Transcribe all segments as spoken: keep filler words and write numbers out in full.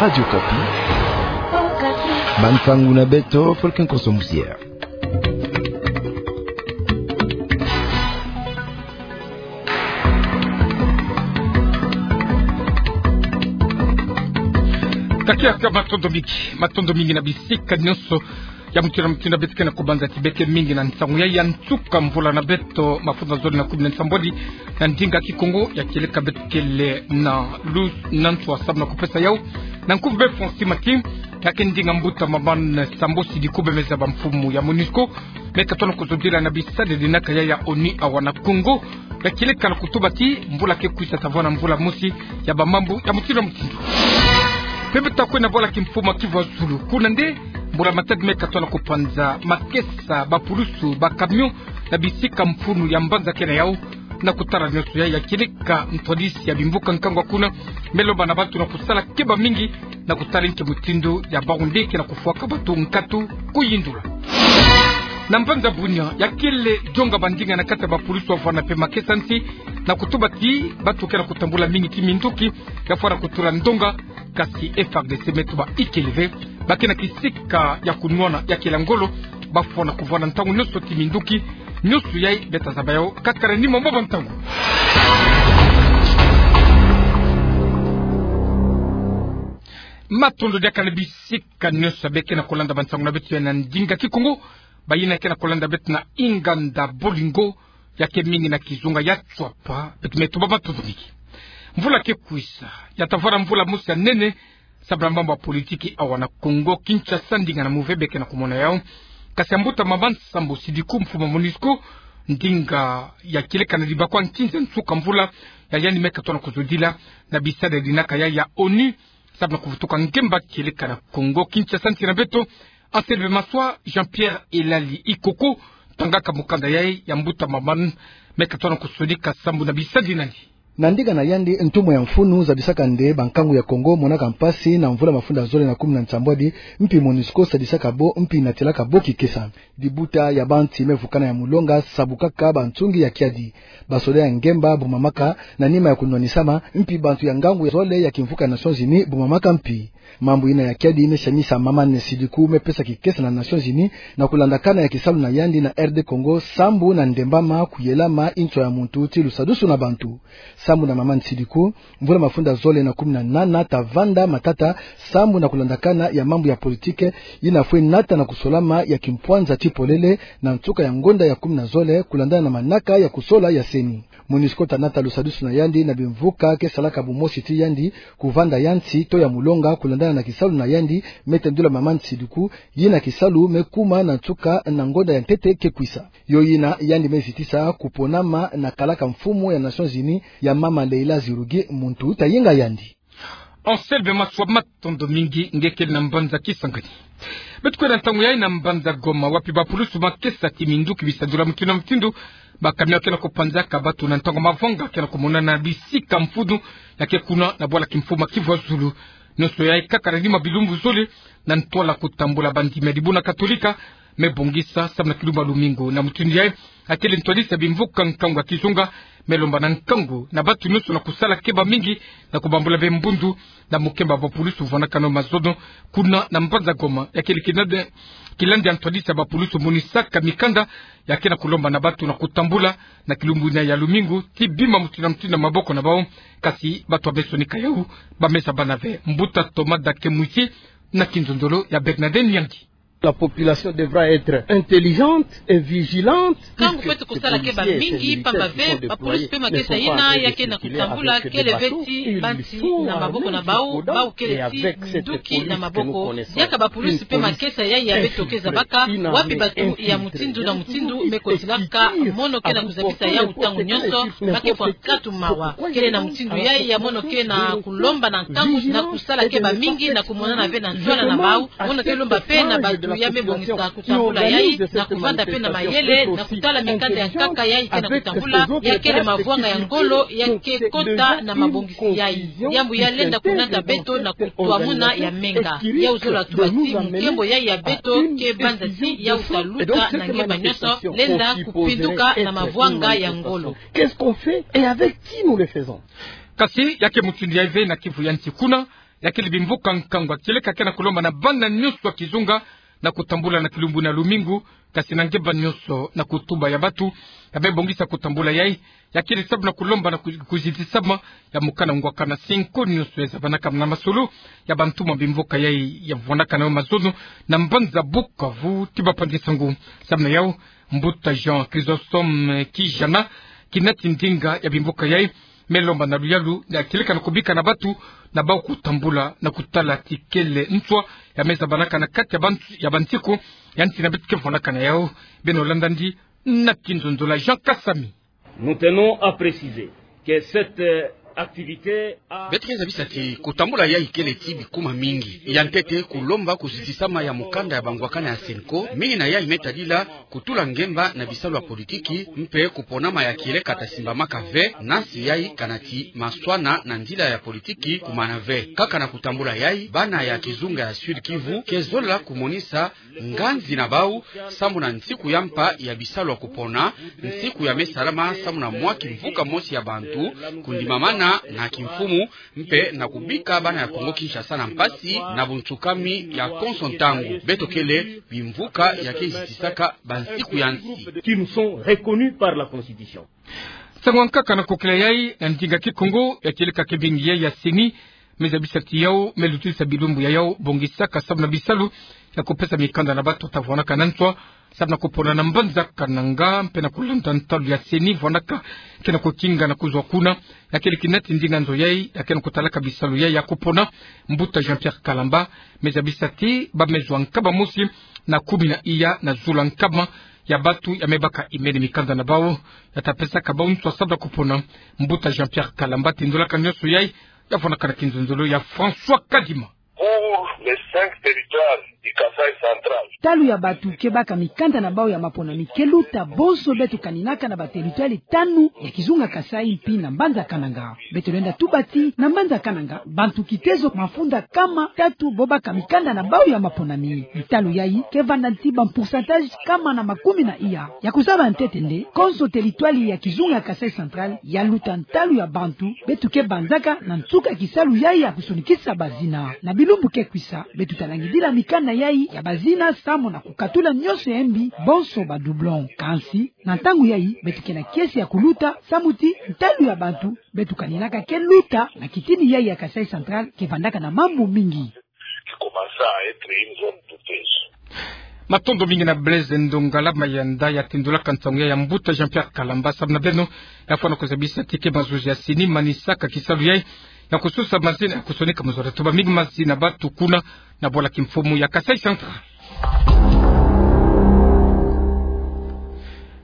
Radio Okapi. Bansangu na beto, Fulkin Kosomusier. Takiaka matondo mingi, matondo mingi na bisika nyonso ya mutindu na mutindu beto ke na kubanza ti beke mingi na nsangu ya, ya nsuka mvula na beto mafuta zole na kumi na nsambwadi na ndinga Kikongo, ya kieleka beto kele na lu-, na nswa samu na kupesa yau na nkuvu be François Mati, ya ke ndinga mbuta mama Sambo Sidiku, bemeza ba mfumu ya MONUSCO me katona kuzodila na bisadidi na kaya ya ONU awa na Kongo, ya kieleka na kutuba ti mvula ke kwisa ta vwanda mvula mosi ya ba mambu ya mutindu na mutindu. Mpe beto ta kwe na bwala kimfumu ya Kivu ya Zulu, kuna nde mbula matadi me katona kupanza makesa, ba pulusu, ba camion na bisika mfunu ya mbanza ke na yau. Na kutala nyonso yayi, ya kieleka ntwadisi ya bimvuka nkangu kuna me lomba na bantu na kusala keba mingi na kutala nki mutindu ya bangunde ke na kufwaka bantu nkatu kuyindula. Na mbanza Bunia, ya kele jonga bandinga na kati ya ba pulusu wavwanda mpe makesa nsi na kutuba ti bantu ke na kutambula mingi ti minduki ya fwana kutula ndonga, kasi F A R D C me tuba ikele ve, ba ke na kisika ya kunwana ya kela ngolo, ba fwana kuvwanda ntangu nyonso ti minduki. Nyonso yayi beto ta zaba yau kaka na nima mwa bantangu. Matondo diaka na bisika nyonso ya beke na kulanda bansangu na beto ya na ndinga Kikongo. Bayina ke na kulanda beto na inganda Bolingo, ya ke mingi na kizunga ya Tswapa, beto me tuba matondo mingi. Mvula ke kwisa ya ta vwanda mvula mosi ya nene samu na mambu ya politiki awa na Kongo Kinshasa, ndinga na muve beke na kumona yau. Kasi ya mbuta mama Sambo Sidiku, mfumu ya MONUSCO, ndinga ya kieleka na dibakwa nkinza nsuka mvula ya yandi me katona kuzodila na bisadidi na kaya ya ONU samu na kuvutuka ngemba kieleka na Kongo Kinshasa, nsi na beto. Anselme Maswa, Jean-Pierre Elali Ikoko tangaka mukanda yayi ya mbuta mama me katona kusonika sambu na bisadidi nani. Na ndinga na yandi, ntumwa ya mfunu zabisaka nde bankangu ya Kongo monaka mpasi na mvula mafunda zole na kumi na nsambwadi, mpi MONUSCO sadisaka bo, mpi natilaka bo kikesa. Dibuta ya bansi me vukana ya mulonga, sabukaka bansungi ya kiadi. Basoda ya ngemba bumamaka na nima ya kunwanisama, mpi bantu ya ngangu ya zole ya kimvuka ya Nations Unies bumamaka mpi. Mambu yina ya kiadi me siamisa mama Sidiku me pesa kikesa na Nations Unies na kulandakana ya kisalu na yandi na R D Congo sambu na ndembama, kuyelama, nswa ya muntu ti lusadusu na bantu. Sambu na mama Sidiku, mvula mafunda zole na kumi na nana ta vanda matata sambu na kulandakana ya mambu ya politiki yina fwe nata na kusolama ya kimpwanza ti polele na nsuka ya ngonda ya kumi na zole, kulandana na manaka ya kusola ya CENI. MONUSCO ta nata lusadusu na yandi na bimvuka ke salaka bumosi ti yandi, kuvanda ya nsi to ya mulonga, kulandana na kisalu na yandi me tendula mama Sidiku, yina kisalu me kuma na nsuka na ngonda ya ntete ke kwisa. Yo yina yandi me zitisa kuponama na kalaka mfumu ya Nations Unies ya mama Leila Zerrougui, muntu ta yenga yandi. Anselme Maswa, matondo mingi, nge kele na mbanza Kisangani. Beto kwenda ntangu yayi na mbanza Goma, wapi bapulusu makesa ti minduki bisadula mutindu na mutindu, bacamion ke na kupanzaka bantu na ntangu mavanga ke na kumonana na bisika mfunu ya ke kuna na bwala kimfumu ya Kivu ya Zulu. Nyonso yayi kaka na nima bilumbu zole na ntwala kutambula bandimi ya dibundu katolika me bongisa samu na kilumbu ya lumingu. Na mutindu yayi, akele ntwadisi ya bimvuka nkangu ya kizunga me lomba na nkangu na bantu nyonso na kusala keba mingi na kubambula be mbundu na mukemba bapulusu vwanakana mazono kuna na mbanza Goma. Ya kele kilandi, kilandi ya ntwadisi ya bapulusu monisaka mikanda ya ke na kulomba na bantu na kutambula na kilumbu yina ya lumingu ti bima mutindu na mutindu na maboko na bau, kasi bantu ya me sonika yau ba me zaba na ve. Mbuta Thomas Dake Mwisi na kinzonzolo ya Bernadette Nyangi. La population devra être intelligente et vigilante. Nkangu kweto kusala keba mingi, pamba ve bapulusu pe makesa yina ya ke na kutambula kele ve ti bansi na maboko na bau, bau kele ti minduki na maboko. Diaka bapulusu pe makesa yayi ya beto ke zabaka, wapi bantu ya mutindu na mutindu me kotilaka, mono ke na kuzabisa yau ntangu nyonso, ba ke fwa nkatu mawa. Kele na mutindu yayi ya mono ke na kulomba na nkangu na kusala keba mingi na kumonana ve na ntwala na bau. Mono ke lomba pe na bantu ya me bongisa kutambula yayi na kuvanda pe na mayele na kutala mikanda ya nkaka yayi ke na kutambula, ya kele mavwanga ya ngolo ya ke kota na mabongisi yayi. Diambu ya lenda kunata beto na kutwamuna ya menga. Yau zola tuba ti mukembo yayi ya beto ke banza ti yau ta luta na nge ba nyonso, lenda kupinduka na mavwanga ya ngolo. Qu'est-ce qu'on fait et avec qui nous le faisons? Kasi ya ke mutindu yayi ve na Kivu ya nsi kuna, Ya kele bimvuka nkangu ya kieleka ke na kulomba na bana nyonso ya kizunga na kutambula na kilumbu na lumingu, kasi na ngemba nyonso na kutuba ya bantu ya me bongisa kutambula yai. Ya kele sababu na kulomba na ku-, kuzitisama ya mokanda ngwakana cinq nyonso ya zabanaka na masolo ya bantu ma bimvuka yai ya vwandaka na yo mazono na mbanza Bukavu ti bapangi sango. Sababu na yau, mbuta Jean Chrysostome Kijana, kinati ndinga ya bimvuka yai, me lomba na luyalu ya kieleka na kubika na bantu na bau kutambula na kutala ti kele nswa ya me zabanaka na kati ya bantu, ya bansiku ya nsi na beto ke vwandaka na yau. Beno landa ndi na kinzonzolo ya Jean Kasami. Nous tenons à préciser que cette, euh, activité a... Beto ke zabisa ti kutambula yai kele ti bikuma mingi. Ya ntete, kulomba kuzitisama ya mokanda ya bangwakana ya cenco, mingi na yai me tadila kutula ngemba na bisalu ya politiki, mpe kuponama ya kieleka ta simbamaka ve, na nsi yai kana ti maswana na nzila ya politiki kumana ve. Kaka na kutambula yai, bana ya kizunga ya Sud-Kivu ke zola kumonisa nganzi na bau sambu na nsiku ya mpa ya bisalu ya kupona, nsiku ya me salama sambu na mwa kimvuka mosi ya bantu kundimamana na kimfumu, mpe na kubika bana ya Kongo-Kinshasa na mpasi na bunsukami ya konso ntangu. Beto kele bimvuka ya ke zitisaka bansiku ya nsi qui nous sont reconnus par la Constitution. Nsangu ya nkaka na kukila yai na ndinga Kikongo ya kieleka kibingi yai ya CENI, me zabisa ti yau me lutisa bilumbu ya yau bongisaka sababu na bisalu ya kupesa mikanda na bantu ta vwandaka na nswa sababu na kupona na mbanza Kananga, mpe na kulanda ntalu ya CENI vwandaka ke na kukinga na kuzwa kuna. Ya kele kinati ndinga nzo yai ya ke na kutalaka bisalu yai ya kupona, mbuta Jean-Pierre Kalamba, me zabisa ti ba me zwa nkaba mosi na kumi na iya na zula nkama ya bantu ya me baka imene mikanda na bau ya ta pesaka bau nswa sababu na kupona. Mbuta Jean-Pierre Kalamba tindolaka nyonso yai ya vwandaka na kinzonzolo ya François Kadima. Pour les cinq territoires du Kasaï central. Ntalu ya bantu ke baka mikanda na bau ya maponami ke luta bonso beto kaninaka na ba territoires tanu ya kizunga Kasaï mpi na mbanza Kananga. Beto lenda tuba ti na mbanza Kananga, bantu kitezo mafunda kama tatu bo baka mikanda na bau ya maponami. Ntalu yai ke vanda nti ba pourcentage kama na makumi na iya. Ya kuzaba ntete nde, konso territoire ya kizunga Kasaï central ya luta ntalu ya bantu beto ke banzaka na nsuka kisalu yai ya kusonikisa bazina. Na bilumbu ke kwisa, beto ta langidila mikanda yai ya bazina samu na kukatula nyonso ya mbi, bonso ba doublons. Kansi, na ntangu yai, beto ke na kiese ya kuluta, samu ti ntalu ya bantu beto kaninaka ke luta na kitini yai ya Kasaï central ke vandaka na mambu mingi. Qui commença à être une zone douteuse. Matondo mingi na Blaise Ndongala Mayanda ya tindolaka nsangu ya mbuta Jean-Pierre Kalamba. Samu na beno, ya fwana kuzabisa ti ke mazuzi ya CENI manisaka kisalu yai ya kusosa mazina ya kusonika mu zola. Tuba mingi mazina bantu kuna na bwala kimfumu ya Kasaï central.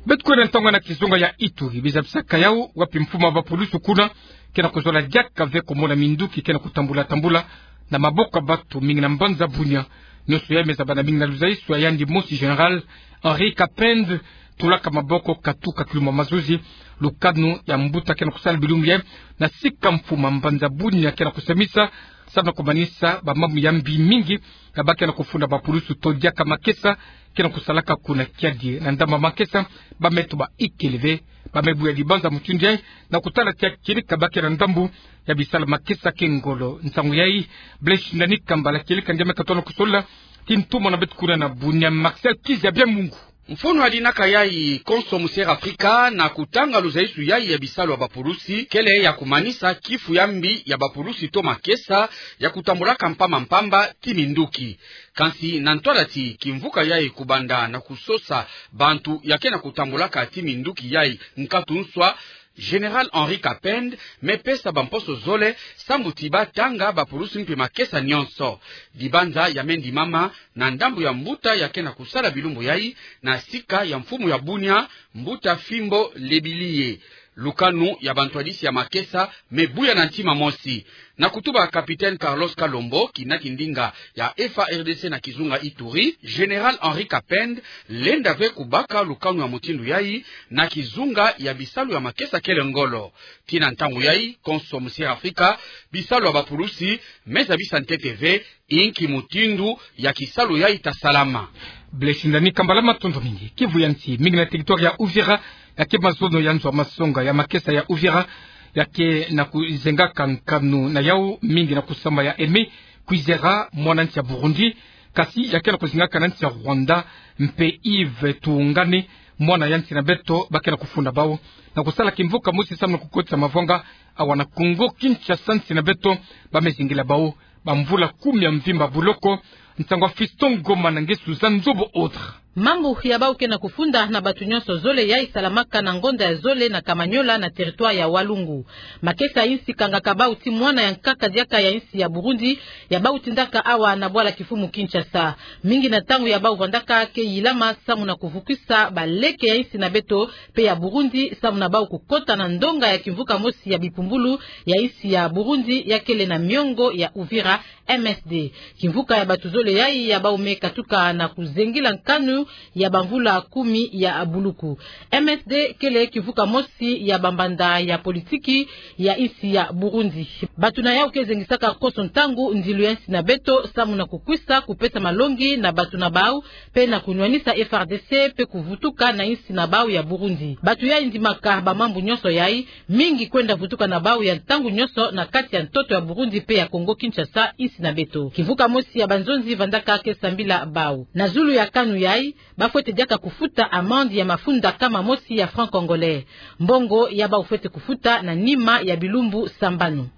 Beto kwenda ntangu na kizunga ya Ituri, bizabisaka yau wapi mfumu ya bapulusu kuna ke na kuzola diaka ve kumona minduki ke na kutambula tambula na maboko ya bantu mingi na mbanza Bunia. Nyonso yai me zabana mingi na luzaisu ya yandi mosi, général Henri Kapend, tulaka maboko katuka kilumbu ya mazuzi. Lukanu ya mbuta ke na kusala bilumbu yai na sika mfumu ya mbanza Bunia ke na kusemisa samu na kumanisa ba mambu ya mbi mingi ya ba ke na kufunda bapulusu to diaka makesa ke na kusalaka kuna kiadi. Na ndambu ya makesa, ba me tuba ikele ve, ba me buya dibanza mutindu yai na kutala ti ya kieleka ba ke na ndambu ya bisala makesa ke ngolo. Nsangu yai, Blaise Ndani Kambala kieleka nge me katono kusola ti ntumwa na beto kuna na Bunia, Marcel Kizabia Mungu. Mfunu ya dinaka yai konso mu Sierra Afrika na kutanga luzaisu yai ya bisalu ya bapulusi kele ya kumanisa kifu ya mbi ya bapulusi to makesa ya kutambulaka mpamba mpamba ti minduki. Kansi na ntwala ti kimvuka yai kubanda na kusosa bantu ya ke na kutambulaka ti minduki yai nkatu nswa, général Henri Kapend me pesa bamposo zole sambu ti ba tanga bapulusi mpe makesa nyonso. Dibanza ya me ndimama na ndambu ya mbuta ya ke na kusala bilumbu yai na sika ya mfumu ya Bunia, mbuta Fimbo Lebiliye. Lukanu ya bantwadisi ya makesa me buya na ntima mosi. Na kutuba capitaine Carlos Kalombo, kinati ndinga ya F A R D C na kizunga Ituri, général Henri Kapend lenda ve kubaka lukanu ya mutindu yai na kizunga ya bisalu ya makesa kele ngolo. Ti na ntangu yai konso mu Sierra Afrika, bisalu ya bapulusi me zabisa ntete ve inki mutindu ya kisalu yai ta salama. Blaise Ndani Kambala, matondo mingi. Kivu ya nsi, mingi na territoire ya Uvira, ya ke mazono ya nzo ya masonga ya makesa ya Uvira, Ya ke na kuzengaka nkanu na yau mingi na kusamba ya Aimé Kwizera, mwana nsi ya Burundi, kasi ya ke na kuzengaka na nsi ya Rwanda, mpe Yves Tuungane, mwana ya nsi na beto, ba ke na kufunda bau na kusala kimvuka mosi samu na kukotisa mavwanga awa na Kongo Kinshasa, nsi na beto, ba me zingila bau bamvula kumi ya mvimba buloko. Nsangu ya Fiston Ngoma na nge Suzanne Nzobo Autre. Mambu ya bau ke na kufunda na bato nyonso zole yai salamaka na ngonda ya zole na Kamanyola na territoire ya Walungu. Makesa ya insi kangaka bau ti mwana ya nkaka diaka ya insi ya Burundi, ya bau tindaka awa na bwala kifumu Kinshasa. Mingi na ntangu ya bau vandaka ke yilama samu na kuvukisa baleke ya insi na beto mpe ya Burundi samu na bau kukota na ndonga ya kimvuka mosi ya bipumbulu ya insi ya Burundi ya kele na miongo ya Uvira, M S D. Kimvuka ya bato zole yai ya bau me katuka na kuzengila nkanu ya bamvula kumi ya buluku. M S D kele kimvuka mosi ya bambanda ya politiki ya insi ya Burundi. Bato na yau ke zengisaka konso ntangu ndilu ya insi na beto samu na kukwisa kupesa malongi na bato na bau, mpe na kunwanisa F R D C mpe kuvutuka na insi na bau ya Burundi. Bato yai ndimaka bamambu nyonso yai, mingi kwenda vutuka na bau ya ntangu nyonso na kati ya ntoto ya Burundi mpe ya Kongo Kinshasa, insi na beto. Kimvuka mosi ya banzonzi vandaka ke sambila bau. Na zulu ya kanu yai, ba fwete diaka kufuta amande ya mafunda kama mosi ya franc congolais. Mbongo ya bau fwete kufuta na nima ya bilumbu sambanu.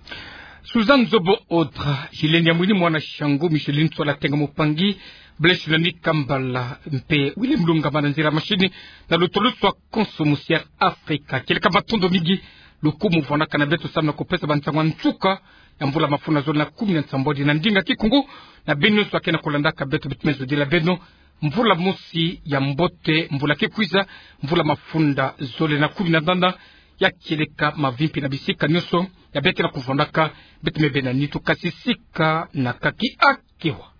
Suzanne Nzobo Autre, Julienne Yamwini, mwana Shangu, Micheline Tsola Tenga Mupangi, Blaise Nani Kambala, mpe William Lungama na nzila mashini, na lutolo lwa konso musi ya Afrika. Kieleka matondo mingi, lukumu vandaka na beto samu na kupesa bansangu ya nsuka ya mvula mafunda zole na kumi na nsambwadi na ndinga Kikongo, na beno nyonso ba ke na kulandaka beto, beto me zodila beno mvula mosi ya mbote, mvula ke kwiza, mvula mafunda zole na kumi na ndanda, ya kieleka mavimpi na bisika nyonso ya beke na kuvandaka, beto me bena nitu kasi sika na kaki akewa.